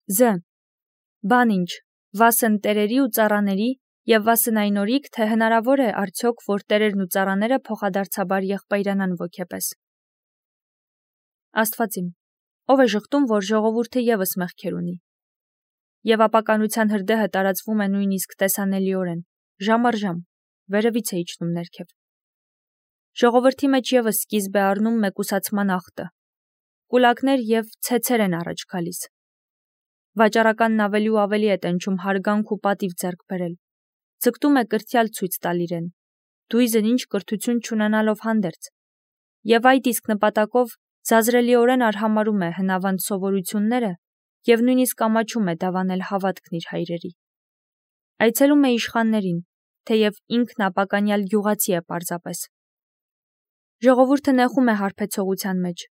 Զ. Բան ինչ, վասն տերերի ու ծառաների և վասն այն օրիք, թե հնարավոր է արդյոք, որ տերերն ու ծառաները փոխադարձաբար եղբայրանան ոգեպես։ Աստվածիմ, ով է ժխտում, որ ժողովուրդը ևս մեղքեր ունի։ Եվ ապականության հրդեհը տարածվում է նույնիսկ տեսանելիորեն, ժամ առ ժամ, վերևից է իջնում ներքև։ Ժողովրդի մեջ ևս սկիզբ է առնում մեկուսացման ախտը։ Կուլակներ և ցեցեր են առաջ գալիս։ Վաճառականն ավելի ու ավելի է տենչում հարգանք ու պատիվ ձեռք բերել։ Ձգտում է կրթյալ ցույց տալ իրեն, դույզն ինչ կրթություն չունենալով հանդերձ։ Եվ այդ իսկ նպատակով զազրելիորեն արհամարում է հնավանդ սովորությունները և նույնիսկ ամաչում է դավանել հավատքն իր հայրերի։ Այցելում է իշխաններին, թեև ինքն ապականյալ գյուղացի է պարզապես։ Ժողովուրդը նեղում է հարբեցողության մեջ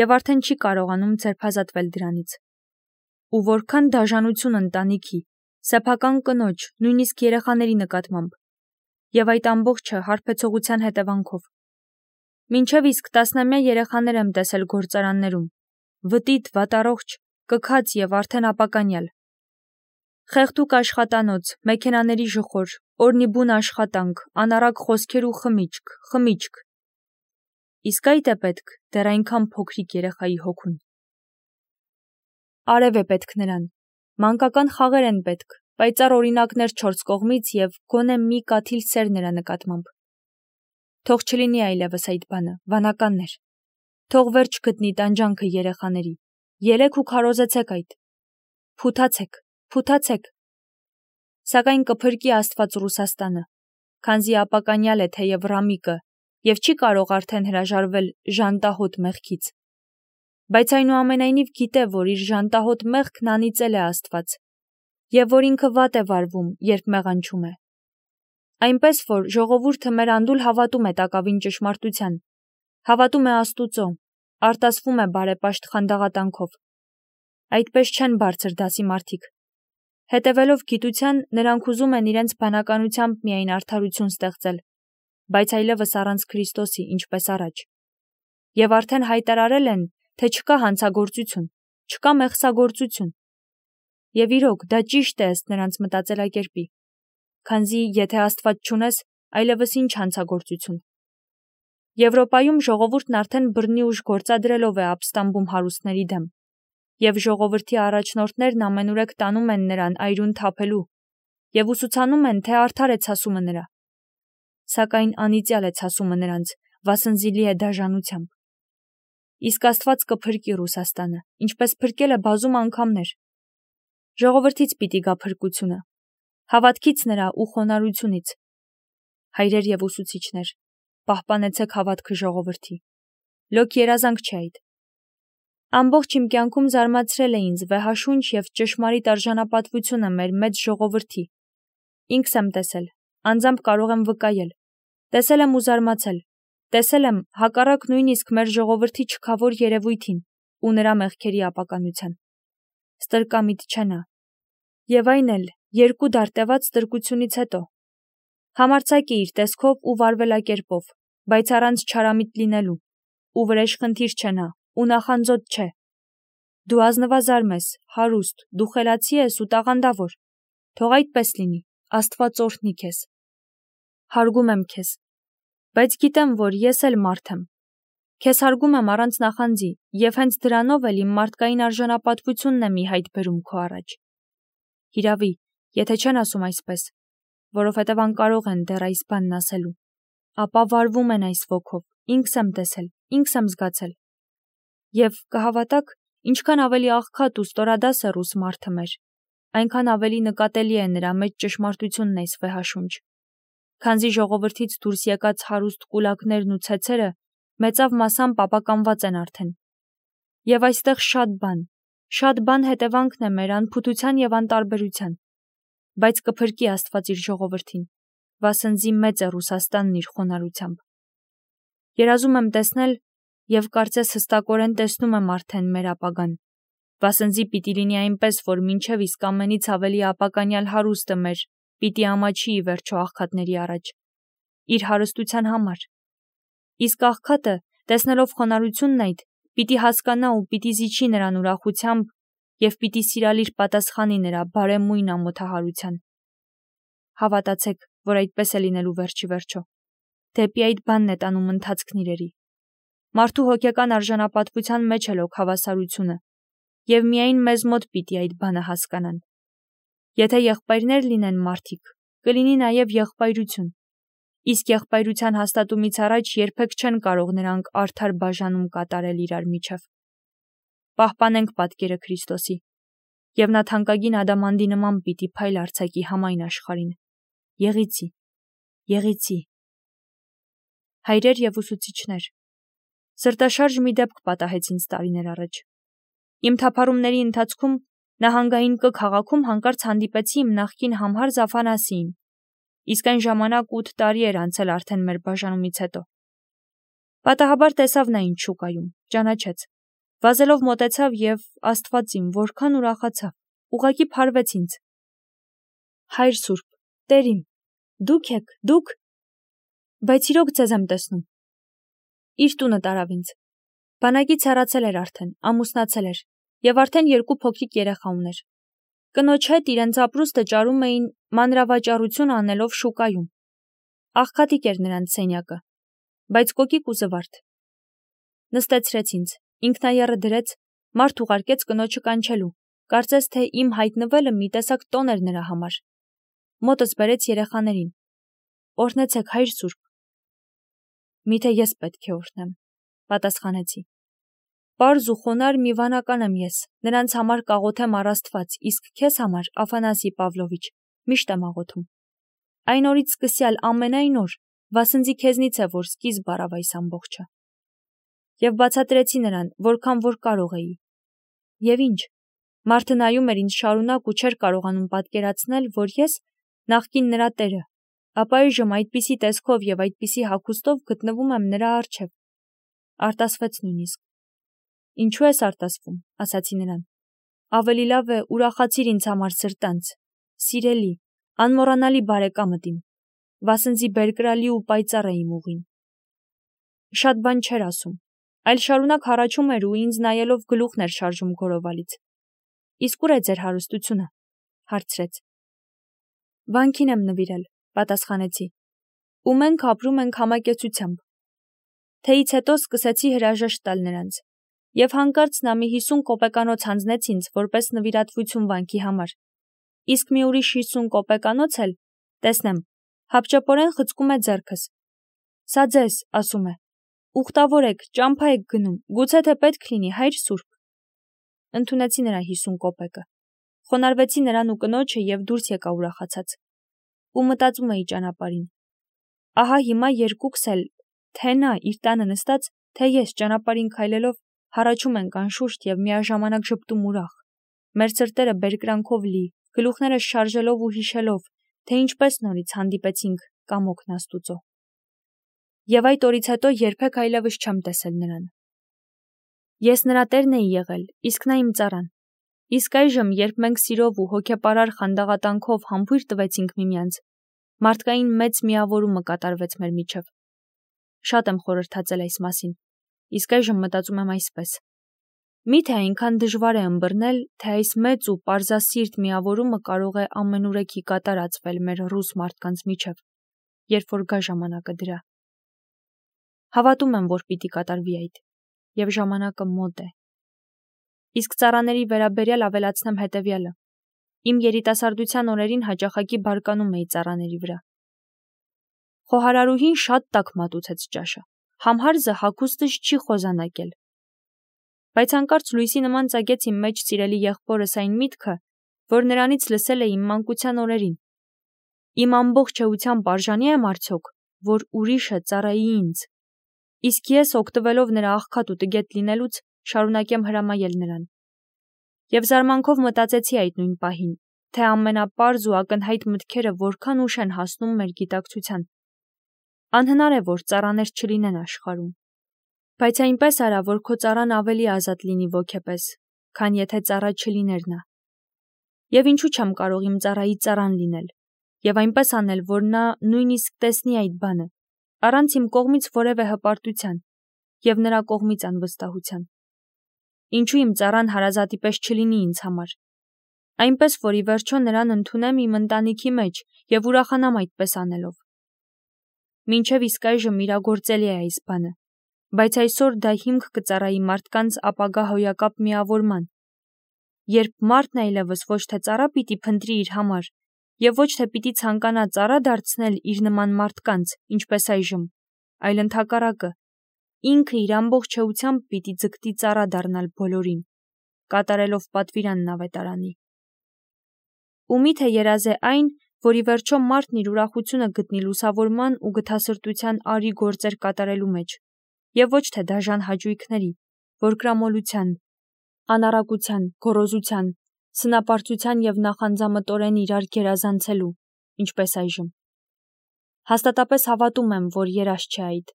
և արդեն չի կարողանում ձերբազատվել դրանից։ Ու որքան դաժանություն ընտանիքի, սեփական կնոջ, նույնիսկ երեխաների նկատմամբ, և այդ ամբողջը հարբեցողության հետևանքով։ Մինչև իսկ տասնամյա երեխաներ եմ տեսել գործարաններում, վտիտ, վատառողջ, կքած և արդեն ապականյալ։ Խեղդուկ աշխատանոց, մեքենաների ժխոր, օրնիբուն աշխատանք, անառակ խոսքեր ու խմիչք։ Իսկ այդ է պետք դեռ այնքան փոքրիկ երեխայի հոգուն։ Արև է պետք նրան, մանկական խաղեր են պետք, պայծառ օրինակներ չորս կողմից և գոնե մի կաթիլ սեր նրա նկատմամբ։ Թող չլինի այլևս այդ բանը, վանականներ։ Թող վերջ գտնի տանջանքը երեխաների։ Ելեք ու քարոզեցեք այդ։ Փութացեք։ Սակայն կփրկի Աստված Ռուսաստանը, քանզի ապականյալ է թեև Ռամիկը և չի կարող արդեն հրաժարվել ժանտահոտ մեղքից։ Բայց այնուամենայնիվ գիտե, որ իր ժանտահոտ մեղքն անիծել է Աստված, և որ ինքը վատ է վարվում, երբ մեղանչում է։ Այնպես որ ժողովուրդը մեր անդուլ հավատում է տակավին ճշմարտության, հավատում է Աստուծո, արտասվում է բարեպաշտ խանդաղատանքով։ Այդպես չեն բարձր դասի մարդիկ։ Հետևելով գիտության, նրանք ուզում են իրենց բանականությամբ միայն արդարություն ստեղծել, բայց այլևս առանց Քրիստոսի, ինչպես առաջ։ Եվ արդեն հայտարարել են, թե չկա հանցագործություն, չկա մեղսագործություն։ Եվ իրոք, դա ճիշտ է ըստ նրանց մտածելակերպի, քանզի եթե Աստված չունես, այլևս ինչ հանցագործություն։ Եվրոպայում ժողովուրդն արդեն բռնի ուժ գործադրելով է ապստամբում հարուստների դեմ, և ժողովրդի առաջնորդներն ամենուրեք տանում են նրան այրուն թափելու և ուսուցանում են, թե արդար է ցասումը նրա։ Սակայն անիծյալ է ցասումը նրանց, վասնզի է դաժանությամբ։ Իսկ Աստված կփրկի Ռուսաստանը, ինչպես փրկել է բազում անգամներ։ Ժողովրդից պիտի գա փրկությունը, հավատքից նրա ու խոնարհությունից։ Հայրեր և ուսուցիչներ, պահպանեցեք հավատքը ժողովրդի։ Լոկ երազանք չէ այդ։ Ամբողջ իմ կյանքում զարմացրել է ինձ վեհաշունչ և ճշմարիտ արժանապատվությունը մեր մեծ ժողովրդի։ Ինքս եմ տեսել, անձամբ կարող եմ վկայել։ Տեսել եմ ու զարմացել։ Տեսել եմ հակառակ նույնիսկ մեր ժողովրդի չքավոր երևույթին ու նրա մեղքերի ապականության։ Ստրկամիտ չէ նա։ Եվ այն էլ երկու դար տևած ստրկությունից հետո։ Համարձակ է իր տեսքով ու վարվելակերպով, բայց առանց չարամիտ լինելու, ու վրեժխնդիր չէ նա, ու նախանձոտ չէ։ Դու ազնվազարմ ես, հարուստ, դու խելացի ես ու տաղանդավոր։ Թող այդպես լինի, Աստված օրհնի քեզ։ Հարգում եմ քեզ, բայց գիտեմ, որ ես էլ մարդ եմ։ Քեզ հարգում եմ առանց նախանձի, և հենց դրանով էլ իմ մարդկային արժանապատվությունն եմ ի հայտ բերում քո առաջ։ Հիրավի, եթե չեն ասում այսպես, որովհետև անկարող են դեռ այս բանն ասելու, ապա վարվում են այս ոգով, ինքս եմ տեսել, ինքս եմ զգացել։ Եվ կհավատաք, ինչքան ավելի աղքատ ու ստորադաս է ռուս մարդը մեր, այնքան ավելի նկատելի է նրա մեջ ճշմարտությունն այս վեհաշունչ, քանզի ժողովրդից դուրս եկած հարուստ կուլակներն ու ցեցերը մեծավ մասամբ ապականված են արդեն։ Եվ այստեղ շատ բան հետևանքն է մեր անփութության և անտարբերության, բայց կփրկի Աստված իր ժողովրդին, վասնզի մեծ է Ռուսաստանն իր խոնարհությամբ։ Երազում եմ տեսնել և կարծես հստակորեն տեսնում եմ արդեն մեր ապագան, վասնզի պիտի լինի այնպես, որ մինչև իսկ ամենից ավելի ապականյալ հարուստը մեր պիտի ամաչի ի վերջո աղքատների առաջ, իր հարստության համար։ Իսկ աղքատը, տեսնելով խոնարհությունն այդ, պիտի հասկանա ու պիտի զիջի նրան ուրախությամբ եւ պիտի սիրալիր պատասխանի նրա բարեմույն ամոթահարության։ Հավատացեք, որ այդպես է լինելու վերջի վերջո։ Դեպի այդ բանն է տանում ընթացքն իրերի։ Մարդու հոգեկան արժանապատվության մեջ է լոք հավասարությունը, եւ միայն մեզ մոտ պիտի այդ բանը հասկանան։ Եթե եղբայրներ լինեն մարդիկ, կլինի նաեւ եղբայրություն, իսկ եղբայրության հաստատումից առաջ երբեք չեն կարող նրանք արդար բաժանում կատարել իրար միջև։ Պահպանենք պատկերը Քրիստոսի, եւ նա թանկագին ադամանդի նման պիտի փայլ արձակի համայն աշխարհին։ Եղիցի։ Հայրեր եւ ուսուցիչներ, սրտաշարժ մի դեպք պատահեց ինձ տարիներ առաջ։ Իմ թափառումների ընթացքում նահանգային Կ քաղաքում հանկարծ հանդիպեցի իմ նախկին համհարզ Աֆանասիին, իսկ այն ժամանակ 8 տարի էր անցել արդեն մեր բաժանումից հետո։ Պատահաբար տեսավ նա ինձ շուկայում, ճանաչեց, վազելով մոտեցավ եւ Աստված իմ որքան ուրախացավ, ուղղակի փարվեց ինձ։ Հայր Սուրբ, Տեր իմ, դուք եք, դուք, բայց իրոք ձեզ եմ տեսնում։ Իր տունը տարավ ինձ։ Բանակից հեռացել էր արդեն, ամուսնացել էր, եւ արդեն 2 փոքրիկ երեխա ուներ։ Կնոջ հետ իրենց ապրուստը ճարում էին մանրավաճառություն անելով շուկայում։ Աղքատիկ էր նրանց սենյակը, բայց կոկիկ ու զվարթ։ Նստեցրեց ինձ, ինքնայառը դրեց, մարդ ուղարկեց կնոջը կանչելու, կարծես թե իմ հայտնվելը մի տեսակ տոն էր նրա համար։ Մոտս բերեց երեխաներին։ Օրհնեցեք, Հայր Սուրբ։ Միթե ես պետք է օրհնեմ, պատասխանեցի։ Պարզ ու խոնար մի վանական եմ ես, նրանց համար կաղոթեմ առ Աստված, իսկ քեզ համար, Աֆանասի Պավլովիչ, միշտ եմ աղոթում։ Այն օրից սկսյալ ամենայն օր, վասնզի քեզնից է, որ սկիզբ առավ այս ամբողջը։ Եվ բացատրեցի նրան, որքան որ կարող էի։ Եվ ինչ, մարդը նայում էր ինձ շարունակ ու չէր կարողանում պատկերացնել, որ ես, նախկին նրա տերը, ապա այժմ այդպիսի տեսքով եւ այդպիսի հագուստով գտնվում եմ նրա առջև։ Արտասվեց նույնիսկ։ Ինչու ես արտասվում, ասացի նրան։ Ավելի լավ է ուրախացիր ինձ համար սրտանց, սիրելի, անմոռանալի բարեկամդ իմ, վասնզի բերկրալի ու պայծառ է իմ ուղին։ Շատ բան չէր ասում, այլ շարունակ հառաչում էր ու ինձ նայելով գլուխն էր շարժում գորովալից։ Իսկ ուր է ձեր հարստությունը, հարցրեց։ Վանքին եմ նվիրել, պատասխանեցի։ Ու մենք ապրում ենք համակեցությամբ։ Թեից հետո սկսեցի հրաժեշտ տալ նրանց, եւ հանկարծ նա մի 50 կոպեկանոց հանձնեց ինձ որպես նվիրատվություն վանքի համար։ Իսկ մի ուրիշ 50 կոպեկանոց էլ, տեսնեմ, հապճեպորեն խցկում է ձեռքս։ Սա ձեզ, ասում է։ Ուխտավոր եք, ճամփա եք գնում, գուցե թե պետք լինի, Հայր Սուրբ։ Ընդունեցի նրա 50 կոպեկը։ Խոնարհվեցի նրան ու կնոջը եւ դուրս եկա ուրախացած։ Ու մտածում էի ճանապարհին։ Ահա հիմա երկուքս էլ, թե նա իր տանը նստած, թե ես ճանապարհին քայլելով հառաչում ենք անշուշտ եւ միաժամանակ ժպտում ուրախ։ Մեր սրտերը բերկրանքով լի, գլուխները շարժելով ու հիշելով, թե ինչպես նորից հանդիպեցինք կամոքն Աստուծո։ Եվ այդ օրից հետո երբեք այլևս չեմ տեսել նրան։ Ես նրա տերն էի եղել, իսկ նա իմ ծառան։ Իսկ այժմ, երբ մենք սիրով ու հոգեպարար խանդաղատանքով համբույր տվեցինք միմյանց, մարդկային մեծ միավորումը կատարվեց մեր միջև։ Շատ եմ խորհրդածել այս մասին, իսկ այժմ մտածում եմ այսպես. միթե այնքան դժվար է ըմբռնել, թե այս մեծ ու պարզասիրտ միավորումը կարող է ամենուրեքի կատարածվել մեր ռուս մարդկանց միջև, երբ որ գա ժամանակը դրա։ Հավատում եմ, որ պիտի կատարվի այդ, եւ ժամանակը մոտ է։ Իսկ ծառաների վերաբերյալ ավելացնեմ հետևյալը. իմ երիտասարդության օրերին հաճախակի բարկանում էի ծառաների վրա։ Խոհարարուհին շատ տաք մատուցեց ճաշը, համհարզը հագուստս չի խոզանակել։ Բայց հանկարծ լույսի նման ծագեց իմ մեջ սիրելի եղբորս այն միտքը, որ նրանից լսել է իմ մանկության օրերին։ Իմ ամբողջ էությամբ արժանի եմ արդյոք, որ ուրիշը ծառայի ինձ։ Իսկ ես, օգտվելով նրա աղքատ ու տգետ լինելուց, շարունակեմ հրամայել նրան։ Եվ զարմանքով մտածեցի այդ նույն պահին, թե ամենապարզ ու ակնհայտ մտքերը որքան ուշ են հասնում մեր գիտակցության։ Անհնար է, որ ծառաներ չլինեն աշխարհում։ Բայց այնպես արա, որ քո ծառան ավելի ազատ լինի ոգեպես, քան եթե ծառա չլիներ նա։ Եվ ինչու չեմ կարող իմ ծառայի ծառան լինել, եւ այնպես անել, որ նա նույնիսկ տեսնի այդ բանը, առանց իմ կողմից որևէ հպարտության, եւ նրա կողմից անվստահության։ Ինչու իմ ծառան հարազատի պես չլինի ինձ համար։ Այնպես, որ ի վերջո նրան ընդունեմ իմ ընտանիքի մեջ եւ ուրախանամ այդպես անելով։ Մինչև իսկ այժմ իրագործելի է այս բանը, բայց այսօր դա հիմք կծառայի մարդկանց ապագա հոյակապ միավորման, երբ մարդն այլևս ոչ թե ծառա պիտի փնտրի իր համար եւ ոչ թե պիտի ցանկանա ծառա դարձնել իր նման մարդկանց, ինչպես այժմ, այլ ընդհակառակը, ինքը իր ամբողջ էությամբ պիտի ձգտի ծառա դառնալ բոլորին, կատարելով պատվիրանն ավետարանի։ Ու միթե երազ է այն, որ ի վերջո մարդն իր ուրախությունը գտնի լուսավորման ու գթասրտության արի գործեր կատարելու մեջ, եւ ոչ թե դաժան հաճույքների, որկրամոլության, անառակության, գոռոզության, սնապարծության եւ նախանձամտորեն իրար գերազանցելու, ինչպես այժմ։ Հաստատապես հավատում եմ, որ երազ չէ այդ,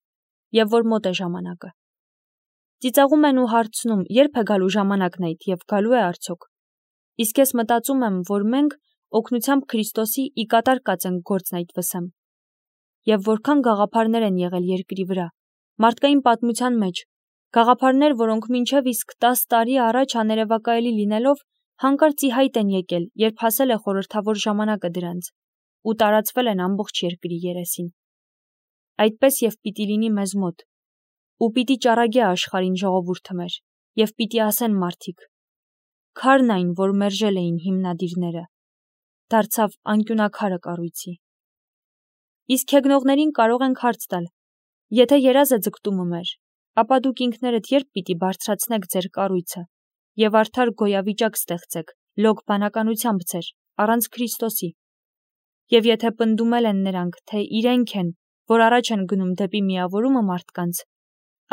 եւ որ մոտ է ժամանակը։ Ծիծաղում են ու հարցնում, երբ է գալու ժամանակն այդ եւ գալու է արդյոք։ Իսկ ես մտածում եմ, որ մենք օգնությամբ Քրիստոսի ի կատար կացենք գործն այդ վսեմ։ Եվ որքան գաղափարներ են եղել երկրի վրա, մարդկային պատմության մեջ, գաղափարներ, որոնք մինչև իսկ 10 տարի առաջ աներևակայելի լինելով հանկարծ ի հայտ են եկել, երբ հասել է խորհրդավոր ժամանակը դրանց, ու տարածվել են ամբողջ երկրի երեսին։ Այդպես եւ պիտի լինի մեզ մոտ, ու պիտի ճառագի աշխարհին ժողովուրդը մեր, եւ պիտի ասեն մարդիկ. քարն այն, որ մերժել էին հիմնադիրները, դարձավ անկյունակարը կառույցի։ Իսկ հեգնողներին կարող ենք հարց տալ. եթե երազ է ձգտումը մեր, ապա դուք ինքներդ երբ պիտի բարձրացնեք ձեր կառույցը եւ արդար գոյավիճակ ստեղծեք, լոկ բանականությամբ ձեր, առանց Քրիստոսի։ Եվ եթե պնդումել են նրանք, թե իրենք են, որ առաջ են գնում դեպի միավորումը մարդկանց,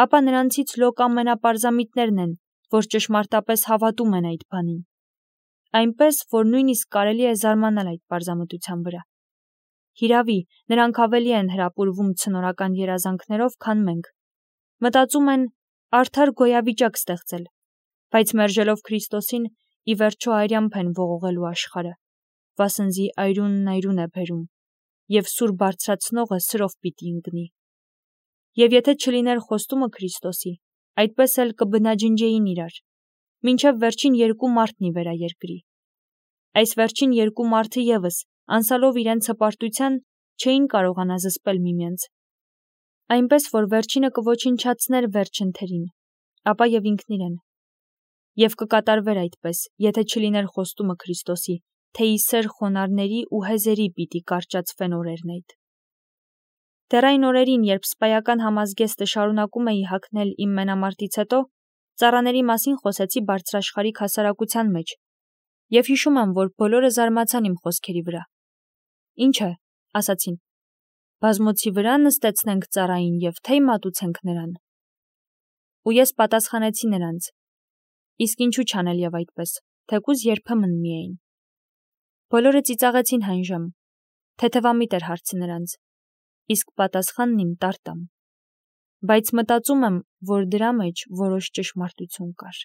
ապա նրանցից լոկ ամենապարզամիտներն են, որ ճշմարտապես հավատում են այդ բանին։ Այնպես, որ նույնիսկ կարելի է զարմանալ այդ պարզամտության վրա։ Հիրավի, նրանք ավելի են հրապուրվում ցնորական երազանքներով, քան մենք։ Մտածում են արդար գոյավիճակ ստեղծել, բայց մերժելով Քրիստոսին, ի վերջո այրամբ են ողողելու աշխարհը, վասնզի այրունն այրուն է բերում, եւ սուր բարձրացնողը սրով պիտի ընկնի։ Եվ եթե չլիներ խոստումը Քրիստոսի, այդպես էլ կբնաջնջեին իրար, մինչև վերջին երկու մարդն ի վերա երկրի։ Այս վերջին երկու մարդը եւս, անսալով իրենց հպարտության, չէին կարողանա զսպել միմյանց։ Այնպես, որ վերջինը կոչնչացներ վերջին թերին, ապա եւ ինքն իրեն։ Եվ կկատարվեր այդպես, եթե չլիներ խոստումը Քրիստոսի, թե ի սեր խոնարհների ու հեզերի պիտի կարճացվեն օրերն այդ։ Դեռ այն օրերին, երբ սպայական համազգեստը շարունակում էի հագնել իմ մենամարտից հետո, ծառաների մասին խոսեցի բարձրաշխարհիկ հասարակության մեջ, եւ հիշում եմ, որ բոլորը զարմացան իմ խոսքերի վրա։ Ինչ է, ասացին, բազմոցի վրա նստեցնենք ծառային եւ թեյ մատուցենք նրան։ Ու ես պատասխանեցի նրանց. իսկ ինչու չանել եւ այդպես, թեկուզ երբեմն միայն։ Բոլորը ծիծաղեցին հանժամ, թեթևամիտ էր հարցը նրանց, իսկ պատասխանն իմ տարտամ։ Բայց մտածում եմ, որ դրա մեջ որոշ ճշմարտություն կար։